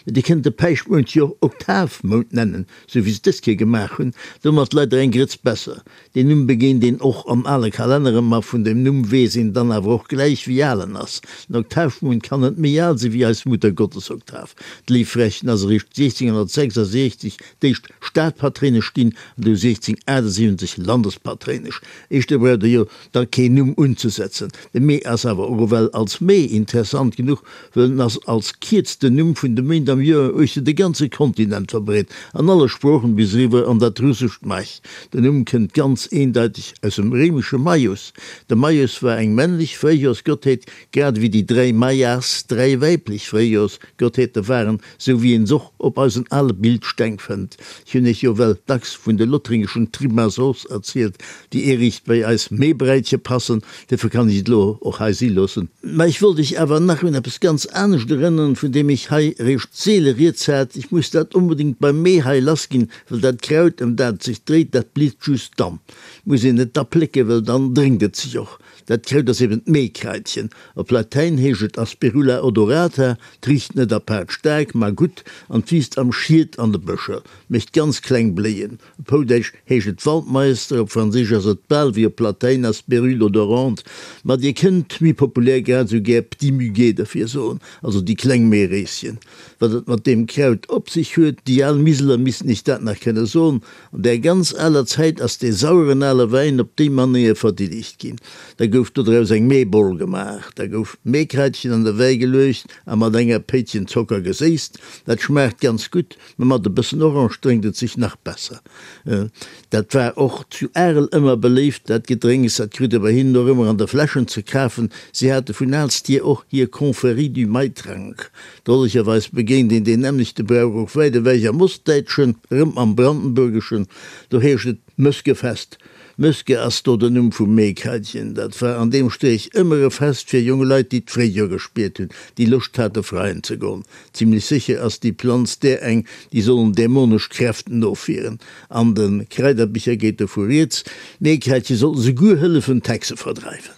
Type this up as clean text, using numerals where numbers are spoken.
Mee Dir kënnt de Päischtmount jo och Oktavmount nennen, sou wéi se dës Kéier gemaach hunn. Domat leider eng Grëtz besser. Deen Numm begéint een och an ale Kalenneren, ma vun dem Numm weess een dann awer och gläich, wéi al en ass. Den Oktavmount kann net méi al si wéi eis Muttergottesoktav. D'Léiffrächen ass eréischt 1666 d'éischt Stadpatréinesch ginn an du 1678 Landespatréinesch. Éischter braucht e jo da keen Numm unzesetzen. De Mee ass awer och ewell als Mee interessant genuch, wëll en ass als kierzten Numm vun de Méint am Joer uechter de ganze Kontinent verbreet, an alle Sproochen bis eriwwer an dat russescht Maj. Den Numm kënnt ganz eendeiteg aus dem réimesche Maius. De Maius war eng männlech Fréijoersgottheet, grad ewéi déi dräi Maias dräi weiblech Fréijoersgottheete waren, sou wéi een s'och op eisen ale Bildsteng fënnt. Ech hunn iech jo well dacks vun de lothringeschen Trimasos erzielt, déi eeriicht bei eis Meebräitche passen, duerfir kann ech et elo och hei si loossen. Mä ech wollt iech awer nach un eppes ganz anescht erënneren, vun deem ech hei eréischt seele rieds hat. Ech muss dat onbedéngt beim Mee hei lassginn, well dat Kraut, ëm dat et sech dréit, dat blitt just dann. Muss een et da plécken, well dann drénkt et sech och. Dat Kraut ass eben d'Meekraitchen. Op Latäin heescht et Asperula odorata. 't richt net apaart staark, ma gutt an 't wiisst am Schiet an de Bëscher, mécht ganz kleng Bléien. Op Houdäitsch heescht et Waldmeister, op Franséisch ass et bal wéi op Latäin Asperule odorante, ma dir kënnt méi populär grad esou gär Petit muguet derfir soen, also déi kleng Meeréischen. Wat et mat deem Kraut op sech huet, déi al Miseler missten iech dat nach kënne soen. An där ganz aler Zäit ass dee saueren ale Wäin op déi Manéier verdillegt ginn. Da gouf dodraus eng Meeboll gemaach. Da gouf d'Meekraitchen an de Wäi geluecht a mat enger Péitchen Zocker geséisst. Dat schmaacht ganz gutt, mä mat e bëssen Orange drénkt et sech nach besser. Dat war och zu Arel ëmmer beléift, dat Gedrénks. Dat krut ee bei hinnen och ëmmer an de Fläschen ze kafen. Si hate vun aalst hier och hir Confrérie du Maitrank. Drollegerweis begéint een deen nämmlechte Brauch och wäit ewech am Ostdäitschen, erëm am Brandenburgeschen, do heescht et Mëskefest. Mëske ass do den Numm vum Meekraitchen. Dat war an deem Streech ëmmer e Fest fir jong Leit, déi d'Fréijoer gespiert hunn, déi Loscht hate freien ze goen. Zimlech sécher ass déi Planz där eng, déi sollen dämonesch Kräften ofwieren. An de Kraiderbicher geet dovu rieds, d'Meekraitche soll souguer hëllefen d'Hexe verdreiwen.